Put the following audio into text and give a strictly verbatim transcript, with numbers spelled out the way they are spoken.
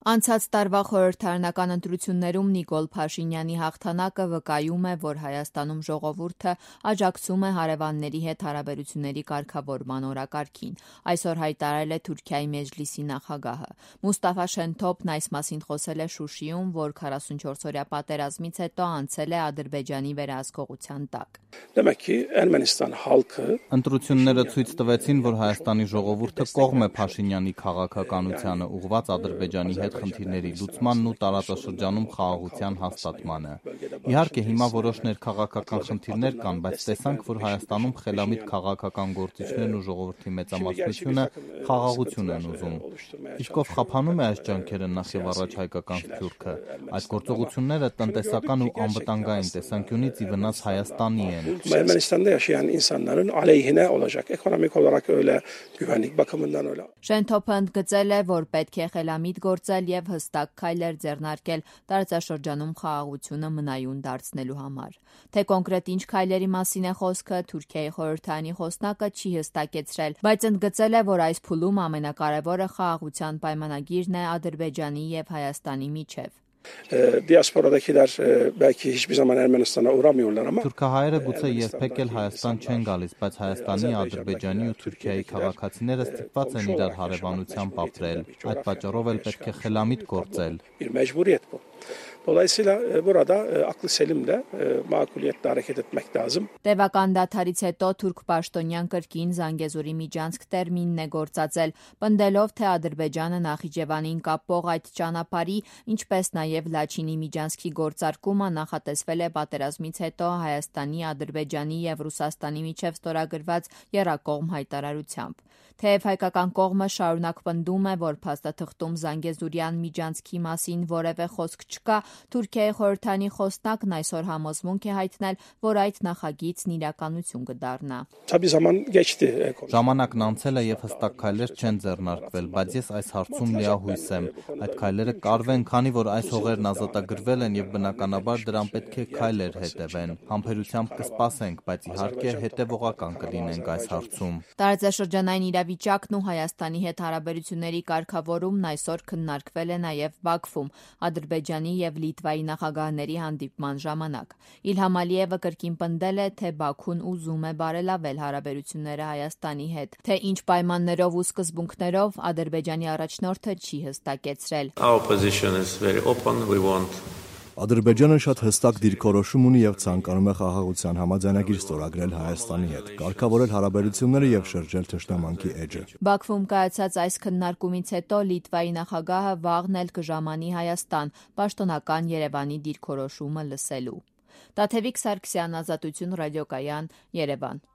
Անցած տարվա խորհրդարանական ընտրություններում Նիկոլ Փաշինյանի հաղթանակը վկայում է, որ Հայաստանում ժողովուրդը աջակցում է հարևանների հետ հարաբերությունների կարգավորման օրակարգին, այսօր հայտարարել է Թուրքիայի Մեջլիսի նախագահը։ Մուստաֆա Շենթոփն այս մասին խոսել է Շուշիում, որ քառասունչորսօրյա պատերազմից հետո անցել է Ադրբեջանի վերահսկողության տակ։ Ընտրությունները ցույց տվեցին, որ Հայաստանի ժողովուրդը կողմ է Փաշինյանի քաղաքականությանը ուղղված Ադրբեջանի հետ խնդիրների լուծմանն ու տարածաշրջանում խաղաղության հաստատմանը։ Իհարկե, հիմա որոշ ներքաղաքական խնդիրներ կան, բայց տեսանք, որ Հայաստանում խելամիտ քաղաքական գործիչներն ու ժողովրդի մեծամասնությունը խաղաղություն են ուզում։ Իսկ ով խափանում է այս ջանքերը նախ եւ առաջ հայկական Սփյուռքը, այդ գործողությունները տնտեսական ու անվտանգային տեսանկյունից ի վնաս Հայաստանի են։ Շենթոփը ընդգծել է, որ պետք է խելամիտ գործել եւ հստակ քայլեր ձեռնարկել տարածաշրջանում խաղաղությունը մնայուն դարձնելու համար։ Թե կոնկրետ ինչ քայլերի մասին է խոսքը, Թուրքիայի խորհրդարանի խոսնակը չի հստակեցրել, բայց ընդգծել է, որ այս փուլում ամենակարևորը խաղաղության պայմանագիրն է Ադրբեջանի եւ Հայաստանի միջեւ։ Դիասպորադակիլար բəlkի hiçbir zaman Ermənistana uğramıyorlar ama Թուրքահայերը գուցե երբեք էլ Հայաստան չեն գալիս, բայց Հայաստանի, Ադրբեջանի ու Թուրքիայի քաղաքացիները ստիպված են իրար հարևանությամբ ապրել։ Այդ պատճառով էլ պետք է խելամիտ գործել։ Bir mecburiyet bu. Dolayısıyla burada aklı selimle makuliyetle hareket etmek lazım. Տևական դադարից հետո թուրք պաշտոնյան կրկին Զանգեզուրի միջանցք տերմինն է գործածել, պնդելով, թե Ադրբեջանը Նախիջևանին կապող այդ ճանապարհի, ինչպես նաև Լաչինի միջանցքի գործարկումը նախատեսվել է պատերազմից հետո Հայաստանի, Ադրբեջանի եւ Ռուսաստանի միջև ստորագրված եռակողմ հայտարարությամբ։ Թեև հայկական կողմը շարունակ պնդում է, որ փաստաթղթում Զանգեզուրյան միջանցքի մասին որևէ խոսք չկա, Թուրքիայի խորհրդարանի խոսնակն այսօր համոզմունք է հայտնել, որ այդ նախագիծն իրականություն կդառնա։ Ժամանակն անցել է եւ հստակ քայլեր չեն ձեռնարկվել, բայց ես այս հարցում լիահույս եմ։ Այդ քայլերը կարվեն, քանի որ այս հողերն ազատագրվել են եւ բնականաբար դրան պետք է քայլեր հետևեն։ Համբերությամբ կսպասենք, բայց իհարկե հետեւողական կլինենք այս հարցում։ Տարածաշրջանային իրավիճակն ու Հայաստանի հետ հարաբերությունների կարգավորումն այսօր քննարկվել է նաեւ Բաքվում Ադրբեջանի եւ Լիտվայի նախագահների հանդիպման ժամանակ։ Իլհամ Ալիևը կրկին պնդել է, թե Բաքուն ուզում է բարելավել հարաբերությունները Հայաստանի հետ, թե ինչ պայմաններով ու սկզբունքներով Ադրբեջանի առաջնորդը չի հստակեցրել։ Our position is very open. We want Ադրբեջանը շատ հստակ դիրքորոշում ունի եւ ցանկանում է խաղաղության համաձայնագիր ստորագրել Հայաստանի հետ, կարգավորել հարաբերությունները եւ շրջել թշնամանքի էջը։ Բաքվում կայացած այս քննարկումից հետո Լիտվայի նախագահը վաղն էլ կժամանի Հայաստան, պաշտոնական Երևանի դիրքորոշումը լսելու։ Տաթևիկ Սարգսյան, Ազատություն ռադիոկայան, Երևան։